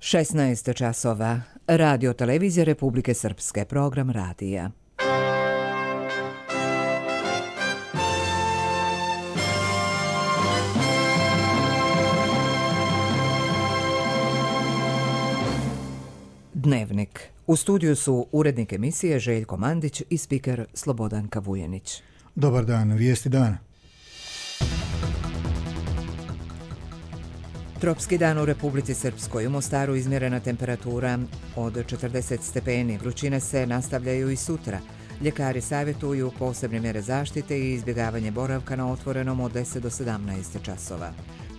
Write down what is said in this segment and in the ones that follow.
16 časova. Radio televizija Republike Srpske. Program radija. Dnevnik. U studiju su urednik emisije Željko Mandić i spiker Slobodanka Vujenić. Dobar dan, vijesti dana. Tropski dan u Republici Srpskoj. U Mostaru izmjerena temperatura od 40 stepeni. Vrućine se nastavljaju i sutra. Ljekari savjetuju posebne mjere zaštite i izbjegavanje boravka na otvorenom od 10 do 17 časova.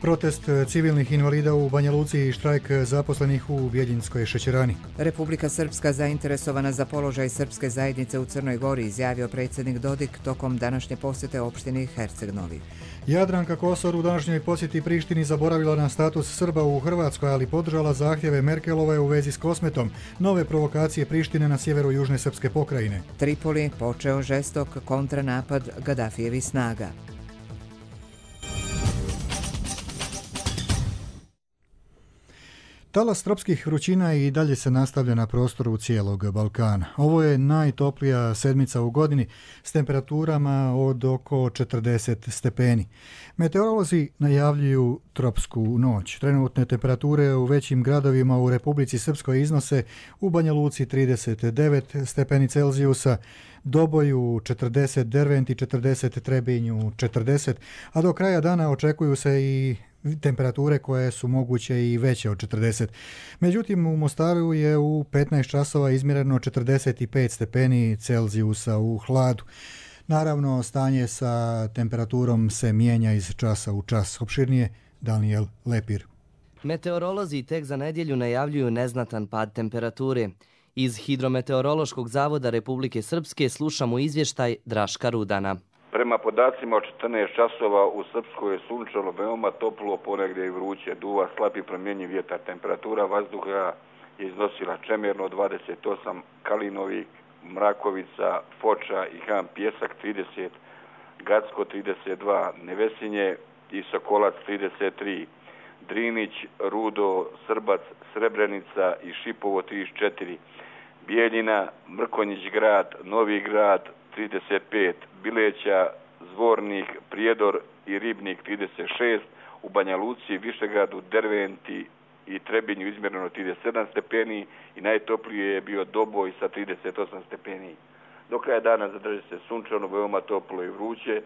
Protest civilnih invalida u Banja Luci i štrajk zaposlenih u Bjeljinskoj šećerani. Republika Srpska zainteresovana za položaj srpske zajednice u Crnoj Gori, izjavio predsjednik Dodik tokom današnje posjete opštini Herceg Novi. Jadranka Kosor u današnjoj posjeti Prištini zaboravila na status Srba u Hrvatskoj, ali podržala zahtjeve Merkelove u vezi s Kosmetom. Nove provokacije Prištine na sjeveru južne srpske pokrajine. Tripoli počeo žestok kontranapad Gadafijevih snaga. Talas tropskih vrućina i dalje se nastavlja na prostoru cijelog Balkana. Ovo je najtoplija sedmica u godini s temperaturama od oko 40 stepeni. Meteorolozi najavljuju tropsku noć. Trenutne temperature u većim gradovima u Republici Srpskoj iznose u Banja Luci 39 stepeni Celzijusa, Doboju 40, Derventi 40, Trebinju 40, a do kraja dana očekuju se i temperature koje su moguće i veće od 40. Međutim, u Mostaru je u 15 časova izmjereno 45 stepeni Celzijusa u hladu. Naravno, stanje sa temperaturom se mijenja iz časa u čas. Opširnije Daniel Lepir. Meteorolozi tek za nedjelju najavljuju neznatan pad temperature. Iz Hidrometeorološkog zavoda Republike Srpske slušamo izvještaj Draška Rudana. Prema podacima od 14 časova u Srpskoj je sunčalo veoma toplo, ponegdje i vruće, duva slab i promjenjiv vjetar. Temperatura vazduha je iznosila čemjerno 28, Kalinovi, Mrakovica, Foča i Han Pjesak 30, Gacko 32, Nevesinje i Sokolac 33, Drinić, Rudo, Srbac, Srebrenica i Šipovo 34, Bijeljina, Mrkonjić grad, Novi grad 35, Bileća, Zvornik, Prijedor i Ribnik 36, u Banja Luci, Višegradu, Derventi i Trebinju izmjereno 37 stepeni i najtoplije je bio Doboj sa 38 stepeni. Do kraja dana zadrži se sunčano, veoma toplo i vruće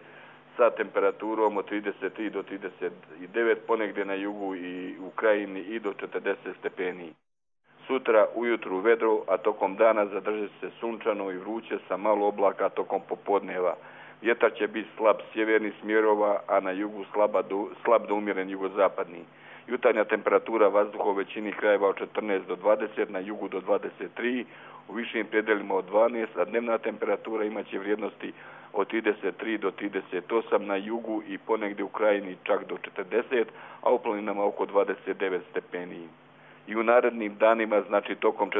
sa temperaturom od 33 do 39, ponegdje na jugu i u krajini i do 40 stepeni. Sutra ujutru vedro, a tokom dana zadrži se sunčano i vruće sa malo oblaka tokom popodneva. Vjetar će biti slab sjevernih smjerova, a na jugu slab do umjeren jugozapadni. Jutarnja temperatura vazduha u većini krajeva od 14 do 20, na jugu do 23, u višim predelima od 12, a dnevna temperatura imaće vrijednosti od 33 do 38 na jugu i ponegdje u krajini čak do 40, a u planinama oko 29 stepeni. I u narednim danima, znači tokom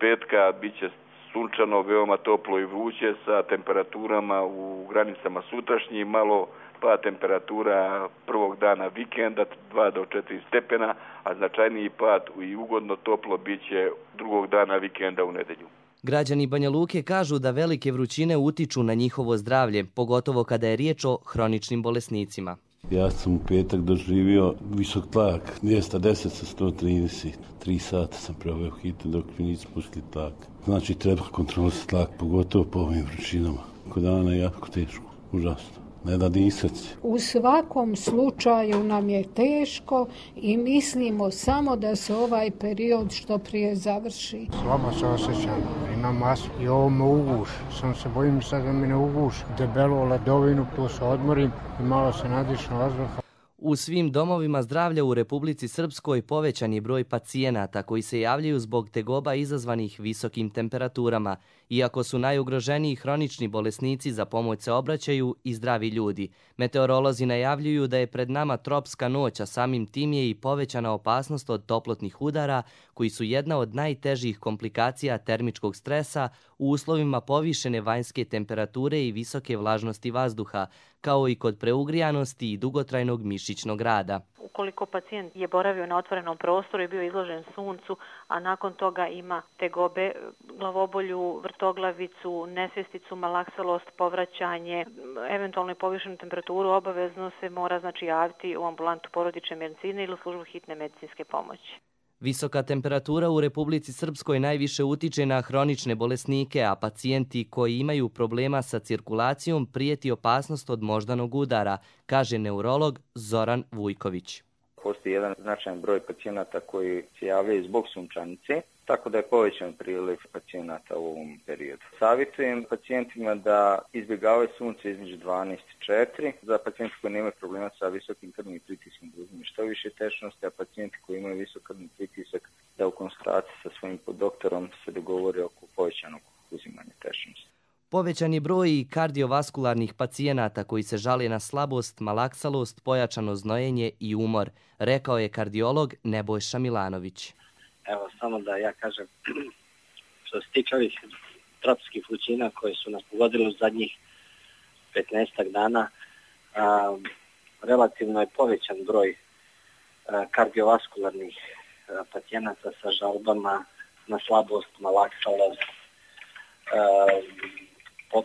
petka, bit će sunčano, veoma toplo i vruće sa temperaturama u granicama sutrašnjih, malo pa temperatura prvog dana vikenda 2 do 4 stepena, a značajniji pad i ugodno toplo bit će drugog dana vikenda u nedjelju. Građani Banja Luke kažu da velike vrućine utiču na njihovo zdravlje, pogotovo kada je riječ o hroničnim bolesnicima. Ja sam u petak doživio visok tlak, 210 sa 130. 3 sata sam proveo hitno dok mi nisu pustili tlak. Znači treba kontrolisati tlak, pogotovo po ovim vrućinama. Kod dana je jako teško, užasno. Ne da disati. U svakom slučaju nam je teško i mislimo samo da se ovaj period što prije završi. Slabo se osjećam, imam astmu i ovo me uguš. Sam se bojim sad da mi ne uguš. Debelu ledovinu, tu se odmorim i malo se nadišem vazduha. U svim domovima zdravlja u Republici Srpskoj povećan je broj pacijenata koji se javljaju zbog tegoba izazvanih visokim temperaturama. Iako su najugroženiji hronični bolesnici, za pomoć se obraćaju i zdravi ljudi. Meteorolozi najavljuju da je pred nama tropska noć, a samim tim je i povećana opasnost od toplotnih udara, koji su jedna od najtežih komplikacija termičkog stresa u uslovima povišene vanjske temperature i visoke vlažnosti vazduha, kao i kod preugrijanosti i dugotrajnog mišićnog rada. Ukoliko pacijent je boravio na otvorenom prostoru i bio izložen suncu, a nakon toga ima tegobe, glavobolju, vrtoglavicu, nesvjesticu, malaksalost, povraćanje, eventualno i povišenu temperaturu, obavezno se mora javiti u ambulantu porodične medicine ili u službu hitne medicinske pomoći. Visoka temperatura u Republici Srpskoj najviše utiče na hronične bolesnike, a pacijenti koji imaju problema sa cirkulacijom prijeti opasnost od moždanog udara, kaže neurolog Zoran Vujković. Postoji jedan značajan broj pacijenata koji se javljaju zbog sunčanice, tako da je povećan priliv pacijenata u ovom periodu. Savjetujem pacijentima da izbjegavaju sunce između 12 i 4. Za pacijenti koji nemaju problema sa visokim krvnim pritiskom da uzme što više tečnosti, a pacijenti koji imaju visok krvni pritisak da u konsultaciji sa svojim doktorom se dogovore oko povećanog uzimanja tečnosti. Povećan je broj i kardiovaskularnih pacijenata koji se žale na slabost, malaksalost, pojačano znojenje i umor, rekao je kardiolog Nebojša Milanović. Evo, samo da ja kažem, što se tiče ovih tropskih vrućina koje su nas pogodile u zadnjih 15 dana, relativno je povećan broj kardiovaskularnih pacijenata sa žalbama na slabost, malaksalost,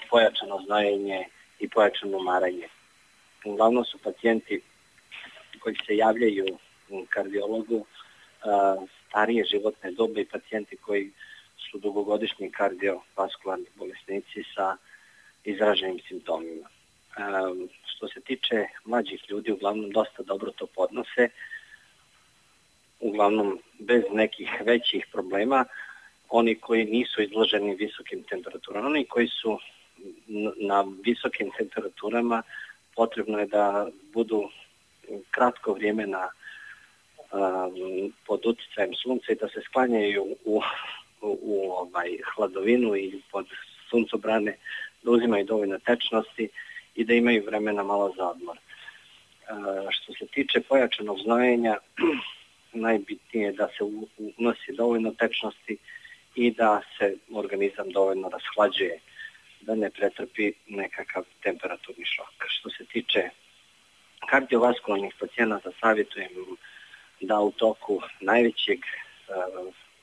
pojačano znojenje i pojačano umaranje. Uglavnom su pacijenti koji se javljaju kardiologu starije životne dobe i pacijenti koji su dugogodišnji kardiovaskularni bolesnici sa izraženim simptomima. Što se tiče mlađih ljudi, uglavnom dosta dobro to podnose, uglavnom bez nekih većih problema. Oni koji nisu izloženi visokim temperaturama, oni koji su na visokim temperaturama, potrebno je da budu kratko vrijeme pod utjecajem sunca i da se sklanjaju u hladovinu i pod suncobrane, da uzimaju dovoljno tečnosti i da imaju vremena malo za odmor. Što se tiče pojačanog znojenja, najbitnije je da se unosi dovoljno tečnosti i da se organizam dovoljno rashlađuje, da ne pretrpi nekakav temperaturni šok. Što se tiče kardiovaskularnih pacijenata, savjetujem da u toku najvećeg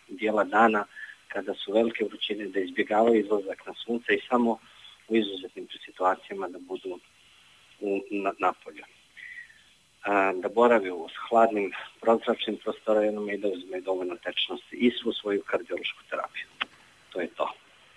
dijela dana, kada su velike vrućine, da izbjegavaju izlazak na sunce i samo u izuzetnim situacijama da budu napolju. Da borave u hladnim prozračnim prostorima i da uzme dovoljno tečnosti i svu svoju kardiološku terapiju. To je to.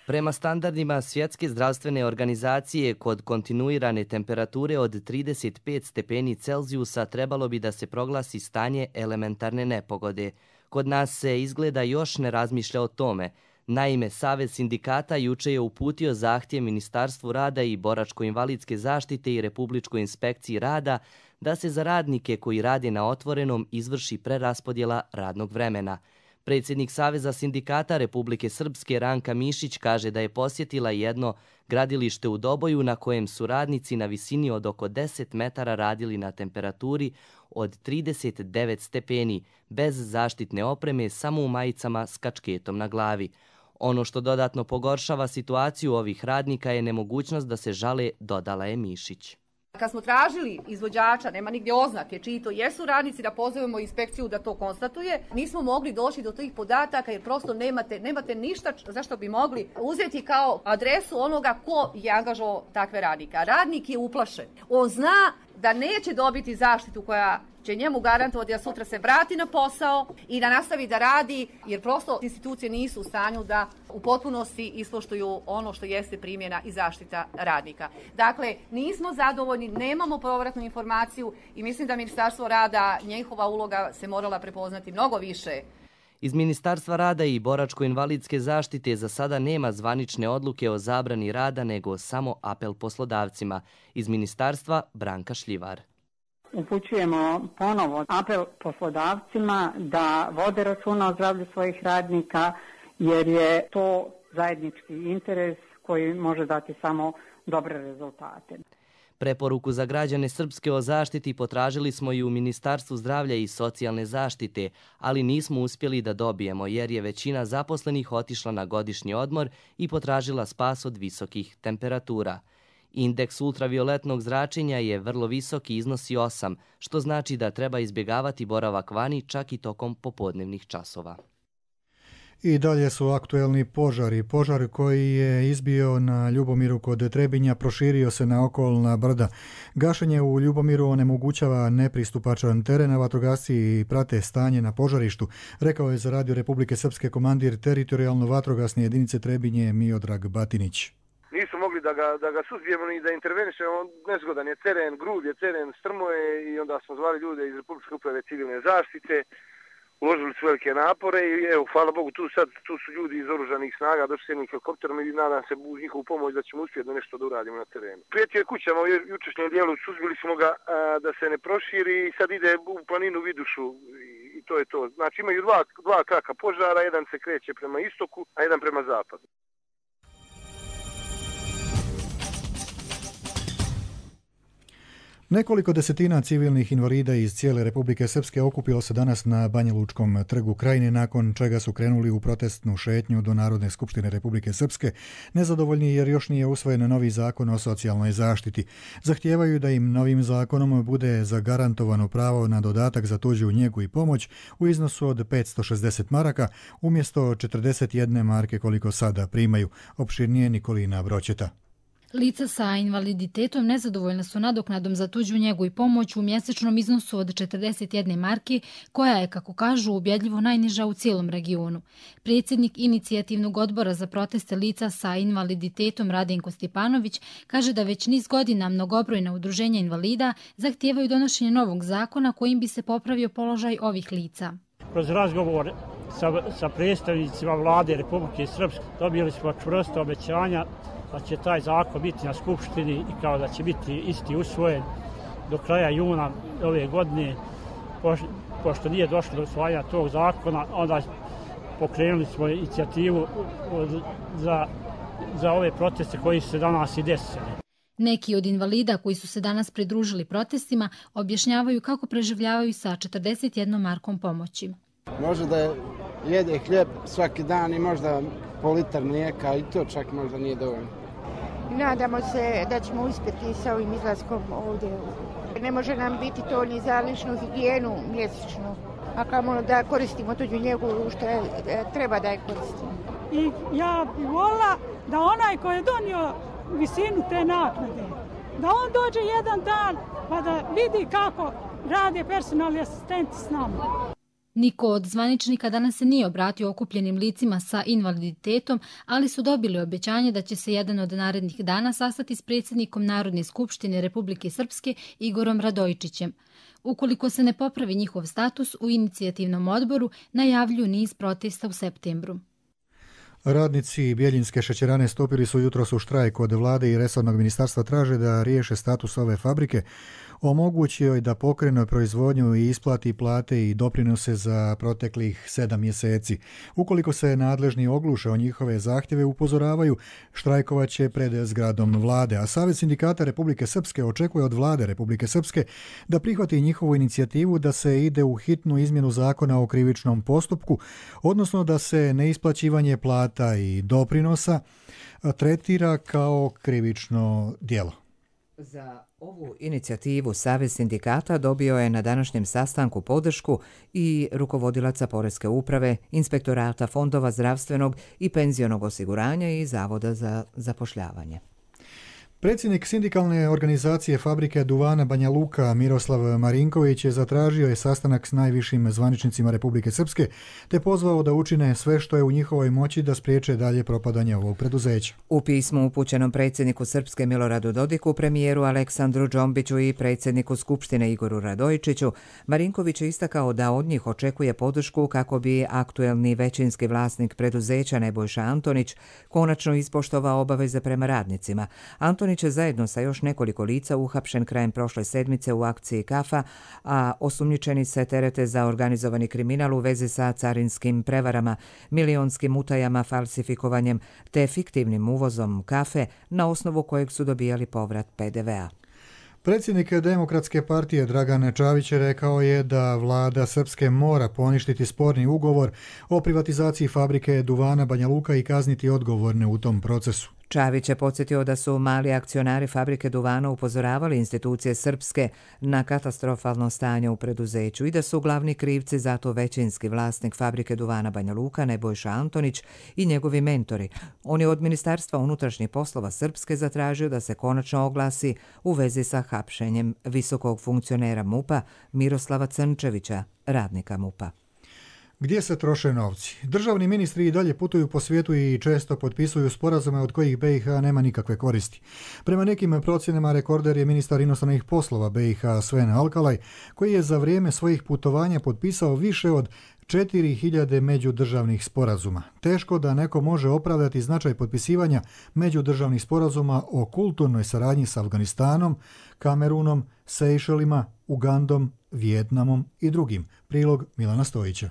Prema standardima Svjetske zdravstvene organizacije, kod kontinuirane temperature od 35 stepeni Celzijusa trebalo bi da se proglasi stanje elementarne nepogode. Kod nas se izgleda još ne razmišlja o tome. Naime, Savez sindikata juče je uputio zahtjev Ministarstvu rada i boračko-invalidske zaštite i Republičkoj inspekciji rada da se za radnike koji rade na otvorenom izvrši preraspodjela radnog vremena. Predsjednik Saveza sindikata Republike Srpske Ranka Mišić kaže da je posjetila jedno gradilište u Doboju na kojem su radnici na visini od oko 10 metara radili na temperaturi od 39 stepeni, bez zaštitne opreme, samo u majicama s kačketom na glavi. Ono što dodatno pogoršava situaciju ovih radnika je nemogućnost da se žale, dodala je Mišić. Kad smo tražili izvođača, nema nigdje oznake čiji to jesu radnici, da pozovemo inspekciju da to konstatuje, nismo mogli doći do tih podataka jer prosto nemate ništa zašto bi mogli uzeti kao adresu onoga ko je angažovao takve radnike. Radnik je uplašen. On zna da neće dobiti zaštitu koja će njemu garantovati da sutra se vrati na posao i da nastavi da radi, jer prosto institucije nisu u stanju da u potpunosti ispoštuju ono što jeste primjena i zaštita radnika. Dakle, nismo zadovoljni, nemamo povratnu informaciju i mislim da Ministarstvo rada, njihova uloga se morala prepoznati mnogo više. Iz Ministarstva rada i boračko-invalidske zaštite za sada nema zvanične odluke o zabrani rada, nego samo apel poslodavcima. Iz Ministarstva Branka Šljivar. Upućujemo ponovo apel poslodavcima da vode računa o zdravlju svojih radnika, jer je to zajednički interes koji može dati samo dobre rezultate. Preporuku za građane Srpske o zaštiti potražili smo i u Ministarstvu zdravlja i socijalne zaštite, ali nismo uspjeli da dobijemo jer je većina zaposlenih otišla na godišnji odmor i potražila spas od visokih temperatura. Indeks ultravioletnog zračenja je vrlo visok i iznosi 8, što znači da treba izbjegavati boravak vani čak i tokom popodnevnih časova. I dalje su aktuelni požari. Požar koji je izbio na Ljubomiru kod Trebinja proširio se na okolna brda. Gašenje u Ljubomiru onemogućava nepristupačan teren, a vatrogasci prate stanje na požarištu, rekao je za Radio Republike Srpske komandir teritorijalno vatrogasne jedinice Trebinje Miodrag Batinić. Nisu mogli da ga suzbijemo ni da intervenišemo, nezgodan je teren, grub je teren, strmo je i onda smo zvali ljude iz Republičke uprave civilne zaštite. Uložili su velike napore i evo, hvala Bogu, tu su ljudi iz oružanih snaga, došli s jednim helikopterom i nadam se uz njihovu pomoć da ćemo uspjeti da nešto da uradimo na terenu. Prijetio je kućama u jučerašnjem dijelu, suzbili smo ga da se ne proširi i sad ide u planinu Vidušu i to je to. Znači imaju dva kraka požara, jedan se kreće prema istoku, a jedan prema zapadu. Nekoliko desetina civilnih invalida iz cijele Republike Srpske okupilo se danas na Banja Lučkom trgu Krajine, nakon čega su krenuli u protestnu šetnju do Narodne skupštine Republike Srpske, nezadovoljni jer još nije usvojen novi zakon o socijalnoj zaštiti. Zahtijevaju da im novim zakonom bude zagarantovano pravo na dodatak za tuđu njegu i pomoć u iznosu od 560 maraka umjesto 41 marke koliko sada primaju. Opširnije Nikolina Broćeta. Lica sa invaliditetom nezadovoljna su nadoknadom za tuđu njegu i pomoć u mjesečnom iznosu od 41 marke, koja je, kako kažu, ubjedljivo najniža u cijelom regionu. Predsjednik inicijativnog odbora za proteste lica sa invaliditetom Radenko Stjepanović kaže da već niz godina mnogobrojna udruženja invalida zahtijevaju donošenje novog zakona kojim bi se popravio položaj ovih lica. Kroz razgovor sa predstavnicima vlade Republike Srpske dobili smo čvrsto obećanja da će taj zakon biti na Skupštini i kao da će biti isti usvojen do kraja juna ove godine. Pošto nije došlo do usvajanja tog zakona, onda pokrenuli smo inicijativu za ove proteste koji su se danas i desili. Neki od invalida koji su se danas pridružili protestima objašnjavaju kako preživljavaju sa 41 markom pomoći. Može da jede hljeb svaki dan i možda po litar mlijeka i to čak možda nije dovoljno. Nadamo se da ćemo uspjeti sa ovim izlaskom ovdje. Ne može nam biti to ni za ličnu higijenu mjesečno, a kamoli da koristimo tuđu njegu što treba da je koristimo. I ja bih volila da onaj koji je donio visinu te naknade, da on dođe jedan dan pa da vidi kako rade personalni asistenti s nama. Niko od zvaničnika danas se nije obratio okupljenim licima sa invaliditetom, ali su dobili obećanje da će se jedan od narednih dana sastati s predsjednikom Narodne skupštine Republike Srpske Igorom Radojičićem. Ukoliko se ne popravi njihov status, u inicijativnom odboru najavljuju niz protesta u septembru. Radnici Bjeljinske šećerane stupili su jutros u štrajk od vlade i resornog ministarstva, traže da riješe status ove fabrike, omogući joj da pokrene proizvodnju i isplati plate i doprinose za proteklih 7 mjeseci. Ukoliko se nadležni ogluše o njihove zahtjeve, upozoravaju, štrajkovaće pred zgradom vlade, a Savez sindikata Republike Srpske očekuje od vlade Republike Srpske da prihvati njihovu inicijativu da se ide u hitnu izmjenu zakona o krivičnom postupku, odnosno da se neisplaćivanje plata i doprinosa tretira kao krivično djelo. Za ovu inicijativu Savez sindikata dobio je na današnjem sastanku podršku i rukovodilaca Poreske uprave, Inspektorata fondova zdravstvenog i penzionog osiguranja i Zavoda za zapošljavanje. Predsjednik sindikalne organizacije fabrike duvana Banja Luka Miroslav Marinković je zatražio sastanak s najvišim zvaničnicima Republike Srpske te pozvao da učine sve što je u njihovoj moći da spriječe dalje propadanje ovog preduzeća. U pismu upućenom predsjedniku Srpske Miloradu Dodiku, premijeru Aleksandru Džombiću i predsjedniku Skupštine Igoru Radojičiću, Marinković je istakao da od njih očekuje podršku kako bi aktuelni većinski vlasnik preduzeća Nebojša Antonić konačno ispoštovao obaveze prema radnicima. Antonić je zajedno sa još nekoliko lica uhapšen krajem prošle sedmice u akciji Kafa, a osumnjičeni se terete za organizovani kriminal u vezi sa carinskim prevarama, milionskim utajama, falsifikovanjem te fiktivnim uvozom kafe na osnovu kojeg su dobijali povrat PDV-a. Predsjednik Demokratske partije Dragan Čavić rekao je da vlada Srpske mora poništiti sporni ugovor o privatizaciji fabrike duvana Banja Luka i kazniti odgovorne u tom procesu. Čavić je podsjetio da su mali akcionari fabrike duvana upozoravali institucije srpske na katastrofalno stanje u preduzeću i da su glavni krivci za to većinski vlasnik fabrike duvana Banja Luka Nebojša Antonić i njegovi mentori. On je od Ministarstva unutrašnjih poslova Srpske zatražio da se konačno oglasi u vezi sa hapšenjem visokog funkcionera MUP-a Miroslava Crnčevića, radnika MUP-a. Gdje se troše novci? Državni ministri i dalje putuju po svijetu i često potpisuju sporazume od kojih BiH nema nikakve koristi. Prema nekim procjenama rekorder je ministar inostranih poslova BiH Sven Alkalaj, koji je za vrijeme svojih putovanja potpisao više od 4000 međudržavnih sporazuma. Teško da neko može opravdati značaj potpisivanja međudržavnih sporazuma o kulturnoj saradnji s Afganistanom, Kamerunom, Sejšelima, Ugandom, Vijetnamom i drugim. Prilog Milana Stojića.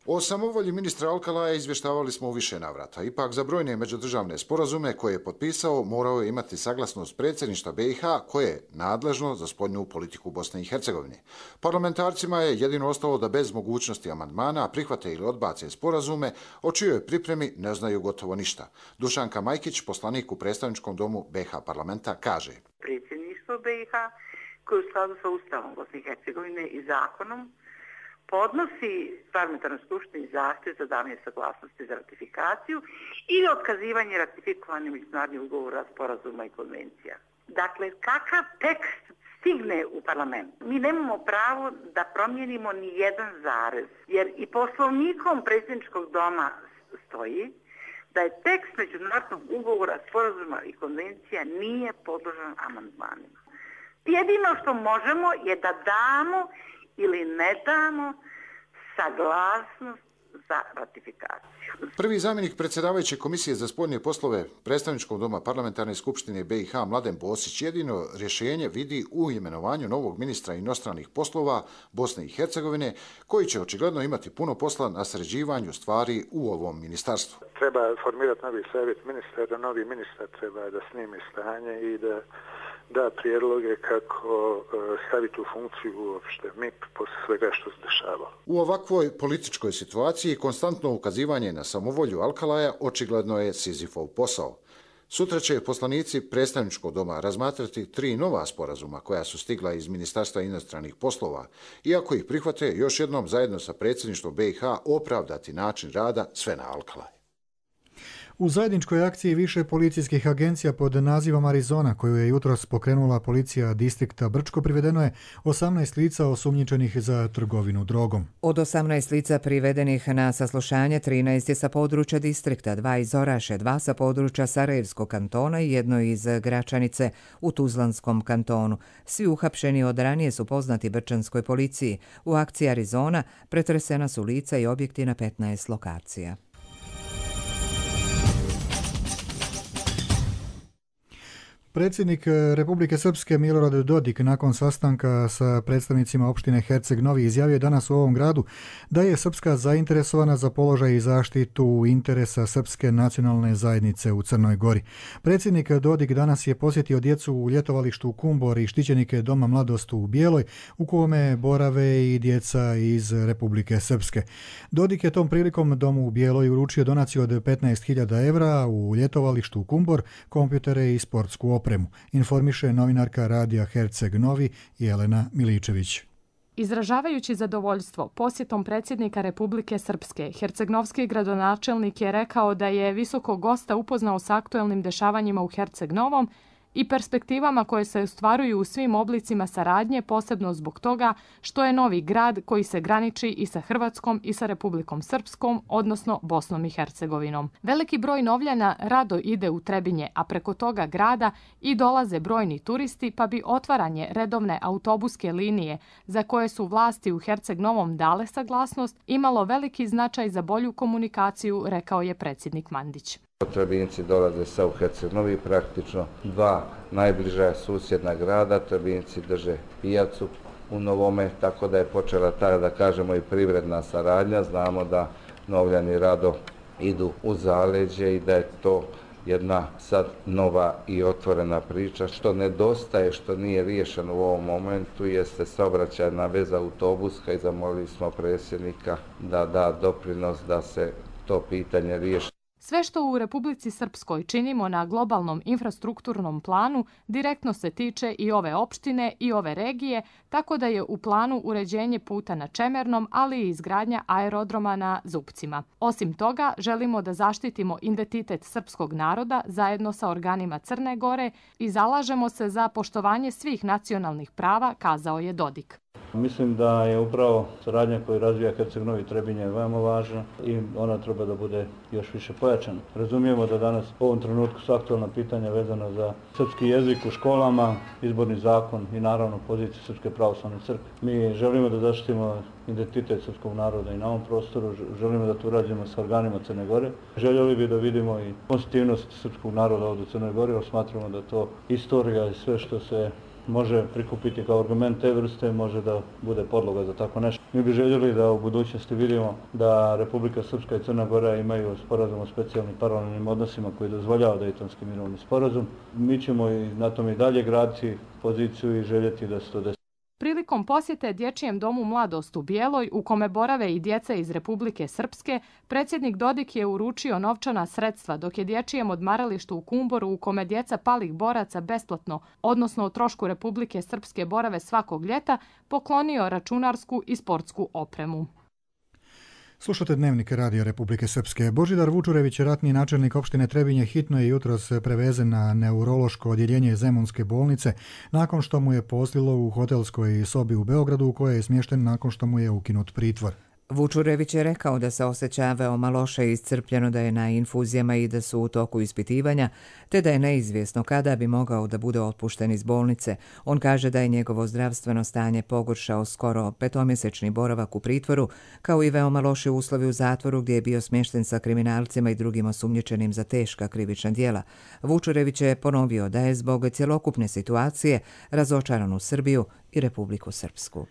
O samovolji ministra Alkalaja izvještavali smo u više navrata. Ipak za brojne međudržavne sporazume koje je potpisao morao je imati saglasnost predsjedništva BiH koje je nadležno za spoljnu politiku Bosne i Hercegovine. Parlamentarcima je jedino ostalo da bez mogućnosti amandmana prihvate ili odbace sporazume o čijoj pripremi ne znaju gotovo ništa. Dušanka Majkić, poslanik u predstavničkom domu BiH parlamenta, kaže: Predsjedništvo BiH koje u skladu sa Ustavom Bosne i Hercegovine i zakonom podnosi parlamentarnoj skupštini zahtjev za davanje saglasnosti za ratifikaciju ili otkazivanje ratifikovanih međunarodnih ugovora, sporazuma i konvencija. Dakle, kakav tekst stigne u parlament? Mi nemamo pravo da promijenimo ni jedan zarez, jer i poslovnikom predsjedničkog doma stoji da je tekst međunarodnog ugovora, sporazuma i konvencija nije podložan amandmanima. Jedino što možemo je da damo ili ne damo saglasnost za ratifikaciju. Prvi zamjenik predsjedavajuće Komisije za spoljne poslove predstavničkog doma parlamentarne skupštine BiH Mladen Bosić jedino rješenje vidi u imenovanju novog ministra inostranih poslova Bosne i Hercegovine, koji će očigledno imati puno posla na sređivanju stvari u ovom ministarstvu. Treba formirati novi savjet ministara, novi ministar treba da snimi stanje i da prijedloge kako staviti u funkciju uopšte MIP posle svega što se dešava. U ovakvoj političkoj situaciji konstantno ukazivanje na samovolju Alkalaja očigledno je Sizifov posao. Sutra će poslanici predstavničkog doma razmatrati 3 nova sporazuma koja su stigla iz Ministarstva inostranih poslova i ako ih prihvate još jednom zajedno sa predsjedništvom BiH opravdati način rada Svena Alkalaja. U zajedničkoj akciji više policijskih agencija pod nazivom Arizona, koju je jutros pokrenula policija distrikta Brčko, privedeno je 18 lica osumnjičenih za trgovinu drogom. Od 18 lica privedenih na saslušanje, 13 je sa područja distrikta, 2 iz Oraše, 2 sa područja Sarajevskog kantona i 1 iz Gračanice u Tuzlanskom kantonu. Svi uhapšeni od ranije su poznati brčanskoj policiji. U akciji Arizona pretresena su lica i objekti na 15 lokacija. Predsjednik Republike Srpske Milorad Dodik nakon sastanka sa predstavnicima opštine Herceg Novi izjavio danas u ovom gradu da je Srpska zainteresovana za položaj i zaštitu interesa Srpske nacionalne zajednice u Crnoj Gori. Predsjednik Dodik danas je posjetio djecu u ljetovalištu Kumbor i štićenike Doma mladosti u Bijeloj, u kome borave i djeca iz Republike Srpske. Dodik je tom prilikom Domu u Bijeloj uručio donaciju od 15.000 evra u ljetovalištu Kumbor, kompjutere i sportsku opremu, informiše novinarka radija Herceg Novi Jelena Miličević. Izražavajući zadovoljstvo posjetom predsjednika Republike Srpske, hercegnovski gradonačelnik je rekao da je visokog gosta upoznao s aktuelnim dešavanjima u Herceg Novom i perspektivama koje se ostvaruju u svim oblicima saradnje, posebno zbog toga što je novi grad koji se graniči i sa Hrvatskom i sa Republikom Srpskom, odnosno Bosnom i Hercegovinom. Veliki broj Novljana rado ide u Trebinje, a preko toga grada i dolaze brojni turisti, pa bi otvaranje redovne autobuske linije, za koje su vlasti u Herceg Novom dale saglasnost, imalo veliki značaj za bolju komunikaciju, rekao je predsjednik Mandić. Trebinci dolaze sa u Herceg Novi, praktično 2 najbliža susjedna grada. Trebinci drže pijacu u Novome, tako da je počela ta, da kažemo, i privredna saradnja. Znamo da Novljani rado idu u zaleđe i da je to jedna sad nova i otvorena priča. Što nedostaje, što nije riješeno u ovom momentu, jeste saobraćajna veza autobuska i zamolili smo predsjednika da da doprinos da se to pitanje riješi. Sve što u Republici Srpskoj činimo na globalnom infrastrukturnom planu direktno se tiče i ove opštine i ove regije, tako da je u planu uređenje puta na Čemernom, ali i izgradnja aerodroma na Zupcima. Osim toga, želimo da zaštitimo identitet srpskog naroda zajedno sa organima Crne Gore i zalažemo se za poštovanje svih nacionalnih prava, kazao je Dodik. Mislim da je upravo saradnja koju razvija Herceg Novi Trebinje veoma važna i ona treba da bude još više pojačana. Razumijemo da danas u ovom trenutku su aktualna pitanja vezana za srpski jezik u školama, izborni zakon i naravno poziciju Srpske pravoslavne crkve. Mi želimo da zaštitimo identitet srpskog naroda i na ovom prostoru, želimo da to urađujemo sa organima Crne Gore. Željeli bi da vidimo i konstitutivnost srpskog naroda ovdje u Crnoj Gori, jer smatramo da to istorija i sve što se može prikupiti kao argument te vrste, može da bude podloga za tako nešto. Mi bi željeli da u budućnosti vidimo da Republika Srpska i Crna Gora imaju sporazum o specijalnim paralelnim odnosima koji dozvoljava Dejtonski mirovni sporazum. Mi ćemo i na tom i dalje graditi poziciju i željeti da se to desi. Prilikom posjete Dječjem domu Mladost u Bijeloj, u kome borave i djeca iz Republike Srpske, predsjednik Dodik je uručio novčana sredstva, dok je Dječjem odmaralištu u Kumboru, u kome djeca palih boraca besplatno, odnosno o trošku Republike Srpske borave svakog ljeta, poklonio računarsku i sportsku opremu. Slušate Dnevnik Radio Republike Srpske. Božidar Vučurević, ratni načelnik opštine Trebinje, hitno je jutros prevezen na neurološko odjeljenje Zemunske bolnice nakon što mu je pozlilo u hotelskoj sobi u Beogradu, u kojoj je smješten nakon što mu je ukinut pritvor. Vučurević je rekao da se osjeća veoma loše i iscrpljeno, da je na infuzijama i da su u toku ispitivanja, te da je neizvjesno kada bi mogao da bude otpušten iz bolnice. On kaže da je njegovo zdravstveno stanje pogoršao skoro 5-mjesečni boravak u pritvoru, kao i veoma loši uslovi u zatvoru gdje je bio smješten sa kriminalcima i drugim osumnjičenim za teška krivična djela. Vučurević je ponovio da je zbog cjelokupne situacije razočaran u Srbiju i Republiku Srpsku.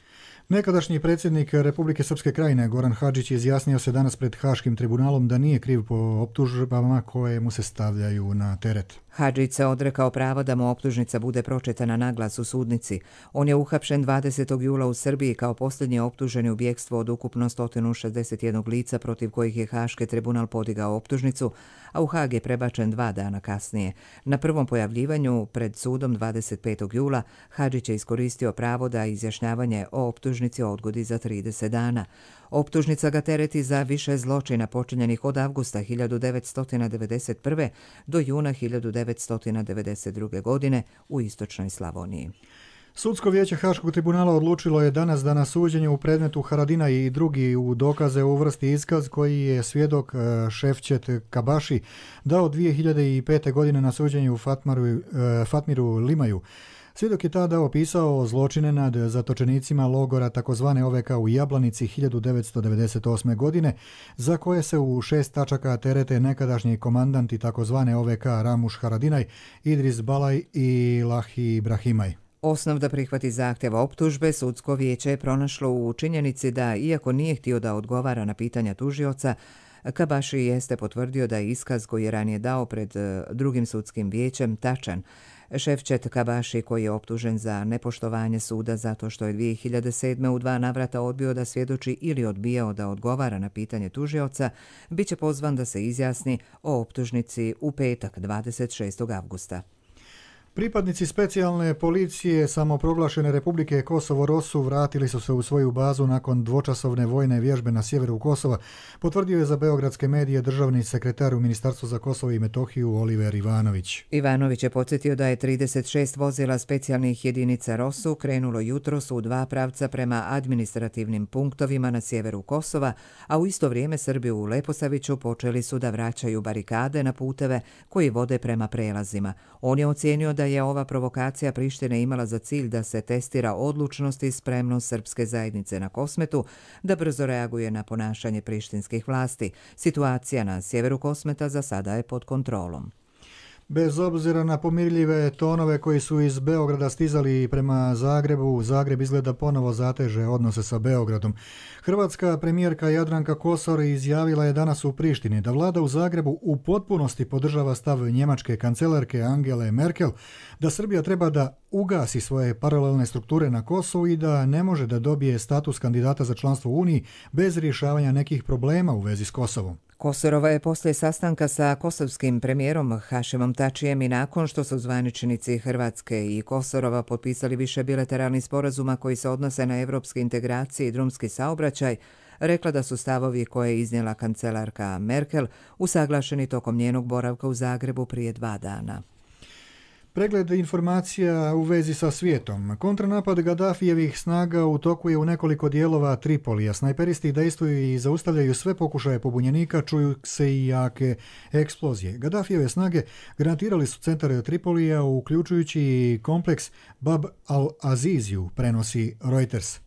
Nekadašnji predsjednik Republike Srpske Krajine Goran Hadžić izjasnio se danas pred Haškim tribunalom da nije kriv po optužbama koje mu se stavljaju na teret. Hadžić se odrekao prava da mu optužnica bude pročitana naglas u sudnici. On je uhapšen 20. jula u Srbiji kao posljednji optuženi u bjekstvu od ukupno 161 lica protiv kojih je Haški tribunal podigao optužnicu, a u Hag je prebačen 2 dana kasnije. Na prvom pojavljivanju pred sudom 25. jula Hadžić je iskoristio pravo da izjašnjavanje o optužnici odgodi za 30 dana. Optužnica ga tereti za više zločina počinjenih od avgusta 1991. do juna 1992. godine u istočnoj Slavoniji. Sudsko vijeće Haškog tribunala odlučilo je danas da na suđenju u predmetu Haradinaj i drugi u dokaze uvrsti iskaz koji je svjedok Šefčet Kabaši dao 2005. godine na suđenju u Fatmiru Limaju. Svjedok je tada opisao zločine nad zatočenicima logora takozvane OVK u Jablanici 1998. godine, za koje se u 6 tačaka terete nekadašnji komandanti takozvane OVK Ramuš Haradinaj, Idris Balaj i Lahi Ibrahimaj. Osnov da prihvati zahtjeva optužbe sudsko vijeće je pronašlo u činjenici da, iako nije htio da odgovara na pitanja tužioca, Kabaši jeste potvrdio da je iskaz koji je ranije dao pred drugim sudskim vijećem tačan. Šefčet Kabaši, koji je optužen za nepoštovanje suda zato što je 2007. u 2 navrata odbio da svjedoči ili odbijao da odgovara na pitanje tužioca, bit će pozvan da se izjasni o optužnici u petak 26. avgusta. Pripadnici specijalne policije samoproglašene Republike Kosovo Rosu vratili su se u svoju bazu nakon dvočasovne vojne vježbe na sjeveru Kosova, potvrdio je za beogradske medije državni sekretar u Ministarstvu za Kosovo i Metohiju Oliver Ivanović. Ivanović je podsjetio da je 36 vozila specijalnih jedinica Rosu krenulo jutros u 2 pravca prema administrativnim punktovima na sjeveru Kosova, a u isto vrijeme Srbi u Leposaviću počeli su da vraćaju barikade na puteve koji vode prema prelazima. On je ocijenio da je ova provokacija Prištine imala za cilj da se testira odlučnost i spremnost srpske zajednice na Kosmetu, da brzo reaguje na ponašanje prištinskih vlasti. Situacija na sjeveru Kosmeta za sada je pod kontrolom. Bez obzira na pomirljive tonove koji su iz Beograda stizali prema Zagrebu, Zagreb izgleda ponovo zateže odnose sa Beogradom. Hrvatska premijerka Jadranka Kosor izjavila je danas u Prištini da vlada u Zagrebu u potpunosti podržava stav njemačke kancelarke Angele Merkel, da Srbija treba da ugasi svoje paralelne strukture na Kosovu i da ne može da dobije status kandidata za članstvo u Uniji bez rješavanja nekih problema u vezi s Kosovom. Kosorova je poslije sastanka sa kosovskim premijerom Hašimom Tačijem i nakon što su zvaničnici Hrvatske i Kosorova potpisali više bilateralnih sporazuma koji se odnose na evropske integracije i drumski saobraćaj, rekla da su stavovi koje je iznijela kancelarka Merkel usaglašeni tokom njenog boravka u Zagrebu prije 2 dana. Pregled informacija u vezi sa svijetom. Kontranapad Gaddafijevih snaga u toku je u nekoliko dijelova Tripolija. Snajperisti dejstvuju i zaustavljaju sve pokušaje pobunjenika, čuju se i jake eksplozije. Gaddafijeve snage granatirali su centar Tripolija, uključujući i kompleks Bab al-Aziziju, prenosi Reuters.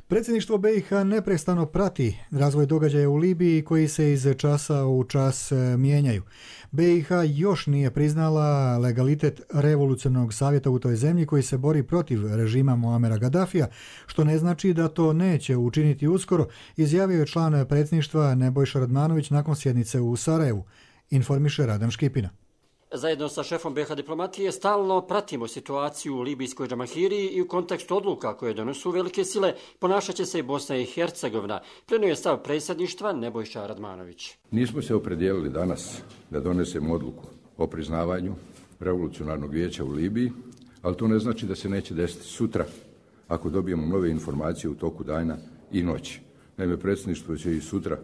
Predsjedništvo BiH neprestano prati razvoj događaja u Libiji koji se iz časa u čas mijenjaju. BiH još nije priznala legalitet revolucionarnog savjeta u toj zemlji koji se bori protiv režima Muamera Gaddafija, što ne znači da to neće učiniti uskoro, izjavio je član predsjedništva Nebojša Radmanović nakon sjednice u Sarajevu, informiše Radan Škipina. Zajedno sa šefom BiH diplomatije stalno pratimo situaciju u libijskoj Džamahiriji i u kontekstu odluka koje donosu velike sile ponašat će se i Bosna i Hercegovina, prenio je stav predsjedništva Nebojša Radmanović. Nismo se opredijelili danas da donesemo odluku o priznavanju revolucionarnog vijeća u Libiji, ali to ne znači da se neće desiti sutra ako dobijemo nove informacije u toku dana i noći. Naime, predsjedništvo će i sutra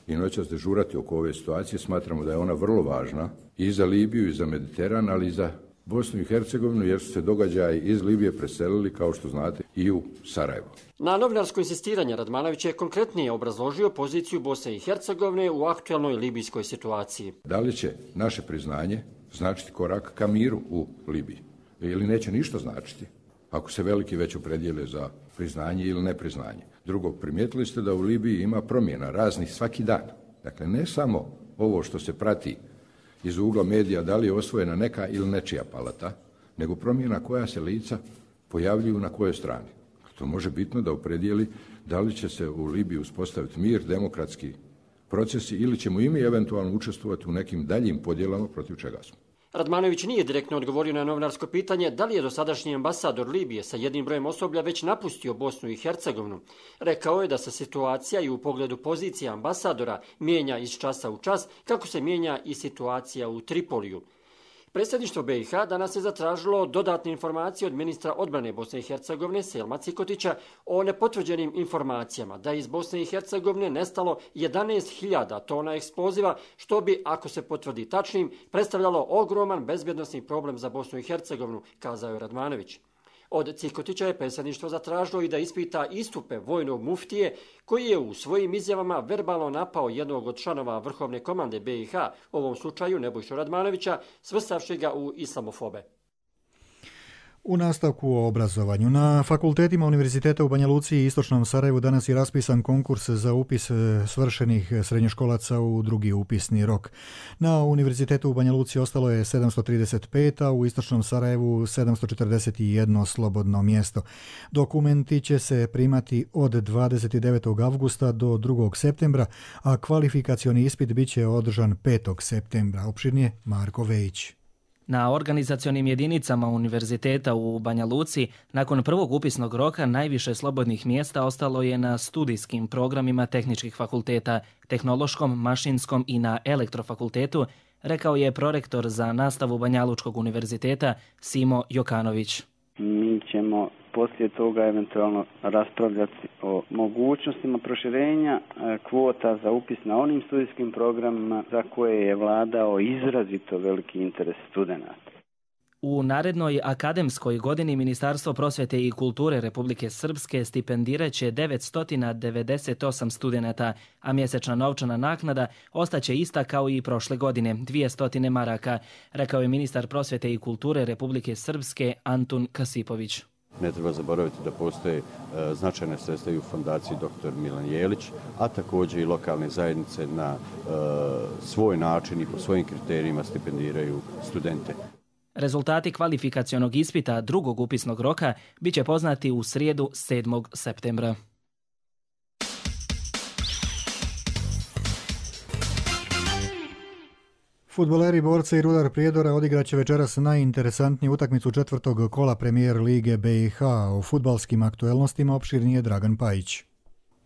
i noćas dežurati oko ove situacije. Smatramo da je ona vrlo važna i za Libiju i za Mediteran, ali i za Bosnu i Hercegovinu, jer su se događaji iz Libije preselili, kao što znate, i u Sarajevo. Na novinarsko insistiranje Radmanović je konkretnije obrazložio poziciju Bosne i Hercegovine u aktualnoj libijskoj situaciji. Da li će naše priznanje značiti korak ka miru u Libiji ili neće ništa značiti ako se veliki već opredijele za priznanje ili nepriznanje? Drugo, primijetili ste da u Libiji ima promjena raznih svaki dan. Dakle, ne samo ovo što se prati iz ugla medija da li je osvojena neka ili nečija palata, nego promjena koja se lica pojavljuju na kojoj strani. To može bitno da opredijeli da li će se u Libiji uspostaviti mir, demokratski procesi ili ćemo i mi eventualno učestvovati u nekim daljim podjelama protiv čega smo. Radmanović nije direktno odgovorio na novinarsko pitanje da li je dosadašnji ambasador Libije sa jednim brojem osoblja već napustio Bosnu i Hercegovinu. Rekao je da se situacija i u pogledu pozicije ambasadora mijenja iz časa u čas, kako se mijenja i situacija u Tripoliju. Predsjedništvo BiH danas je zatražilo dodatne informacije od ministra odbrane Bosne i Hercegovine Selma Cikotića o nepotvrđenim informacijama da je iz Bosne i Hercegovine nestalo 11.000 tona eksploziva, što bi, ako se potvrdi tačnim, predstavljalo ogroman bezbjednosni problem za Bosnu i Hercegovinu, kazao je Radmanović. Od Cikotića je predsjedništvo zatražilo i da ispita istupe vojnog muftije koji je u svojim izjavama verbalno napao jednog od članova vrhovne komande BiH, u ovom slučaju Nebojšu Radmanovića, svrstavši ga u islamofobe. U nastavku o obrazovanju. Na fakultetima Univerziteta u Banja Luci i Istočnom Sarajevu danas je raspisan konkurs za upis svršenih srednjoškolaca u drugi upisni rok. Na Univerzitetu u Banja Luci ostalo je 735, a u Istočnom Sarajevu 741 slobodno mjesto. Dokumenti će se primati od 29. avgusta do 2. septembra, a kvalifikacioni ispit bit će održan 5. septembra. Opširnije Marko Vejić. Na organizacionim jedinicama Univerziteta u Banja Luci nakon prvog upisnog roka najviše slobodnih mjesta ostalo je na studijskim programima tehničkih fakulteta, tehnološkom, mašinskom i na elektrofakultetu, rekao je prorektor za nastavu Banjalučkog univerziteta Simo Jokanović. Mi ćemo poslije toga eventualno raspravljati o mogućnostima proširenja kvota za upis na onim studijskim programima za koje je vladao izrazito veliki interes studenata. U narednoj akademskoj godini Ministarstvo prosvjete i kulture Republike Srpske stipendirat će 998 studenata, a mjesečna novčana naknada ostaće ista kao i prošle godine, 200 maraka, rekao je ministar prosvjete i kulture Republike Srpske Antun Kasipović. Ne treba zaboraviti da postoje značajne sredstva i u fondaciji dr. Milan Jelić, a također i lokalne zajednice na svoj način i po svojim kriterijima stipendiraju studente. Rezultati kvalifikacionog ispita drugog upisnog roka bit će poznati u srijedu 7. septembra. Fudbaleri Borca i Rudar Prijedora odigraće večeras najinteresantniju utakmicu četvrtog kola Premijer Lige BiH. O fudbalskim aktuelnostima opširnije Dragan Pajić.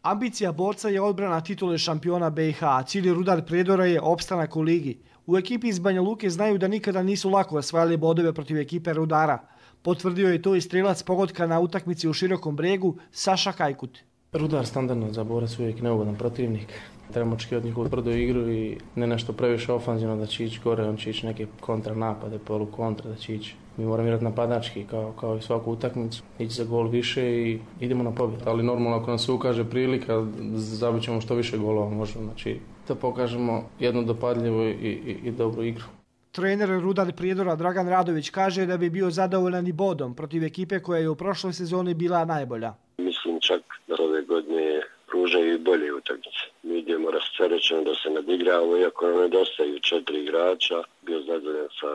Ambicija borca je odbrana titule šampiona BiH, a cilj Rudar Prijedora je opstanak u ligi. U ekipi iz Banja Luke znaju da nikada nisu lako osvajali bodove protiv ekipe Rudara. Potvrdio je to i strelac pogotka na utakmici u Širokom Bregu Saša Kajkut. Rudar standardno za borac uvijek neugodan protivnik. Trebamo očekivati njihovu tvrdu igru i ne nešto previše ofanzivno da će ići gore, on će ići neke kontranapade, polukontra da će ići. Mi moramo igrati napadački kao i svaku utakmicu, ići za gol više i idemo na pobjedu. Ali normalno ako nam se ukaže prilika, zabit ćemo što više golova možemo. Znači da pokažemo jednu dopadljivu i dobru igru. Trener Rudar Prijedora Dragan Radović kaže da bi bio zadovoljan i bodom protiv ekipe koja je u prošloj sezoni bila najbolja. Mislim čak da ove godine pružaju i bolje utakmice. Mi idemo rasterećeno da se nadigramo, iako nam nedostaju 4 igrača. Bio zadovoljan sa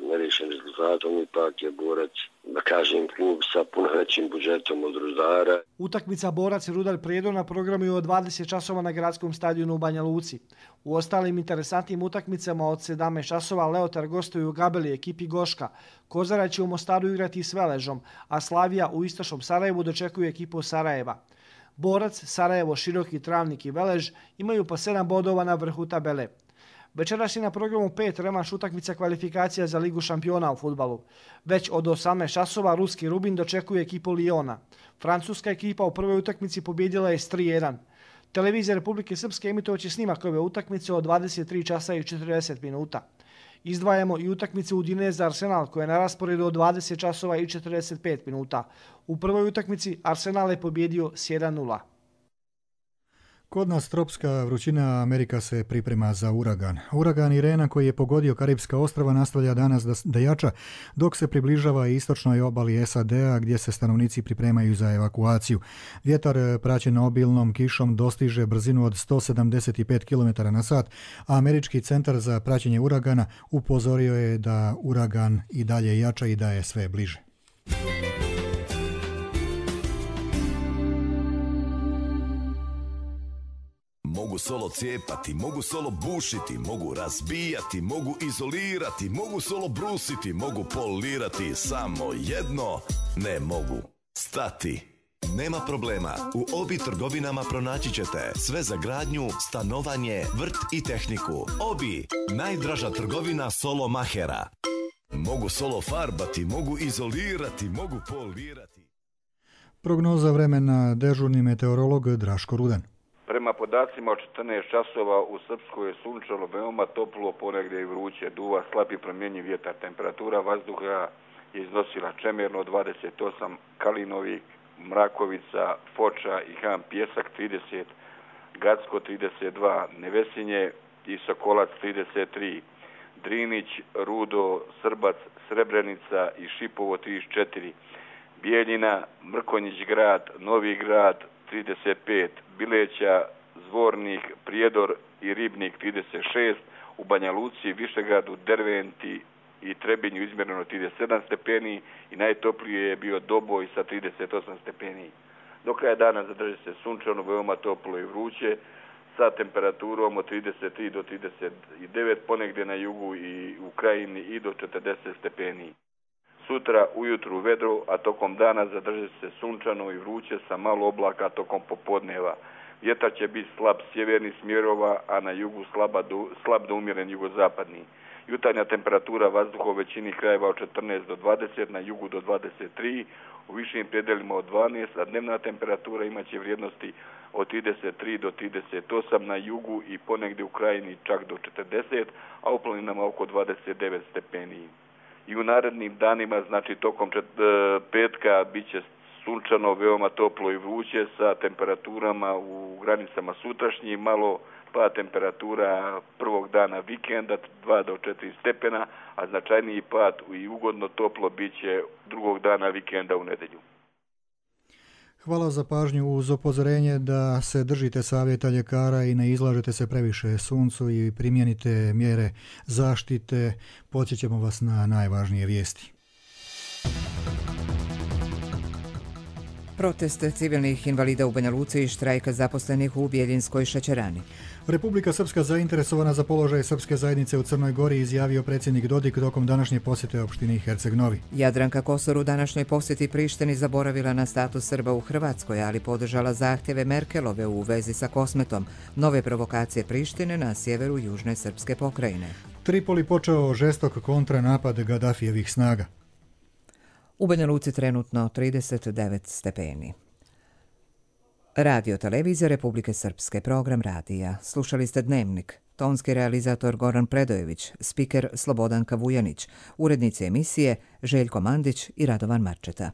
nerešenim rezultatom, ipak je borac, da kažem, klub sa puno većim budžetom od Rudara. Utakmica borac Rudar Prijedor na programu je od 20 časova na gradskom stadionu u Banja Luci. U ostalim interesantnim utakmicama od 17 časova Leotar gostuju u Gabeli ekipi Goška. Kozara će u Mostaru igrati s Veležom, a Slavija u istočnom Sarajevu dočekuje ekipu Sarajeva. Borac, Sarajevo, Široki, Travnik i Velež imaju po 7 bodova na vrhu tabele. Večeras je na programu 5 revanš utakmica kvalifikacija za Ligu šampiona u fudbalu. Već od 18 časova ruski Rubin dočekuje ekipu Liona. Francuska ekipa u prvoj utakmici pobjedila je s 3-1. Televizija Republike Srpske emitovaće snimak ove utakmice od 23 časa i 40 minuta. Izdvajamo i utakmicu Udineza Arsenal koja je na rasporedu od 20 časova i 45 minuta. U prvoj utakmici Arsenal je pobjedio s 1-0. Kod nas tropska vrućina Amerika se priprema za uragan. Uragan Irena koji je pogodio Karibska ostrva nastavlja danas da jača dok se približava istočnoj obali SAD-a gdje se stanovnici pripremaju za evakuaciju. Vjetar praćen obilnom kišom dostiže brzinu od 175 km/h, a Američki centar za praćenje uragana upozorio je da uragan i dalje jača i da je sve bliže. Mogu solo cijepati, mogu solo bušiti, mogu razbijati, mogu izolirati, mogu solo brusiti, mogu polirati, samo jedno ne mogu stati. Nema problema, u Obi trgovinama pronaći ćete sve za gradnju, stanovanje, vrt i tehniku. Obi, najdraža trgovina solo mahera. Mogu solo farbati, mogu izolirati, mogu polirati. Prognoza vremena dežurni meteorolog Draško Rudan. Prema podacima od 14 časova u Srpskoj je sunčalo veoma toplo, ponegdje i vruće, duva slab i promjenjiv vjetar. Temperatura vazduha je iznosila čemerno 28, Kalinovik, Mrakovica, Foča i Han Pjesak 30, Gacko 32, Nevesinje i Sokolac 33, Drinić, Rudo, Srbac, Srebrenica i Šipovo 34, Bijeljina, Mrkonjić grad, Novi grad 35, Bileća, Zvornik, Prijedor i Ribnik 36, u Banja Luci, Višegradu, Derventi i Trebinju izmjereno 37 stepeni i najtoplije je bio Doboj sa 38 stepeni. Do kraja dana zadrži se sunčano, veoma toplo i vruće sa temperaturom od 33 do 39, ponegdje na jugu i u krajini i do 40 stepeni. Sutra ujutru vedro, a tokom dana zadrži se sunčano i vruće sa malo oblaka tokom popodneva. Vjetar će biti slab sjevernih smjerova, a na jugu slab do umjeren jugozapadni. Jutarnja temperatura vazduha u većini krajeva od 14 do 20, na jugu do 23, u višim predelima od 12, a dnevna temperatura imaće vrijednosti od 33 do 38 na jugu i ponegdje u krajini čak do 40, a u planinama oko 29 stepeni. I u narednim danima, znači tokom petka, bit će sunčano, veoma toplo i vruće sa temperaturama u granicama sutrašnjih, malo pa temperatura prvog dana vikenda 2 do 4 stepena, a značajniji pad i ugodno toplo bit će drugog dana vikenda u nedjelju. Hvala za pažnju uz upozorenje da se držite savjeta ljekara i ne izlažete se previše suncu i primijenite mjere zaštite. Podsjećamo vas na najvažnije vijesti. Protest civilnih invalida u Banja Luci i štrajka zaposlenih u Bijeljinskoj šećerani. Republika Srpska zainteresovana za položaj srpske zajednice u Crnoj Gori, izjavio predsjednik Dodik tokom današnje posjete opštini Herceg Novi. Jadranka Kosor u današnjoj posjeti Prištini zaboravila na status Srba u Hrvatskoj, ali podržala zahtjeve Merkelove u vezi sa Kosmetom, nove provokacije Prištine na sjeveru južne srpske pokrajine. Tripoli počeo žestok kontranapad Gaddafijevih snaga. U Banja Luci trenutno 39 stepeni. Radio televizija Republike Srpske, program radija. Slušali ste Dnevnik. Tonski realizator Goran Predojević, spiker Slobodanka Vujanić, urednici emisije Željko Mandić i Radovan Marčeta.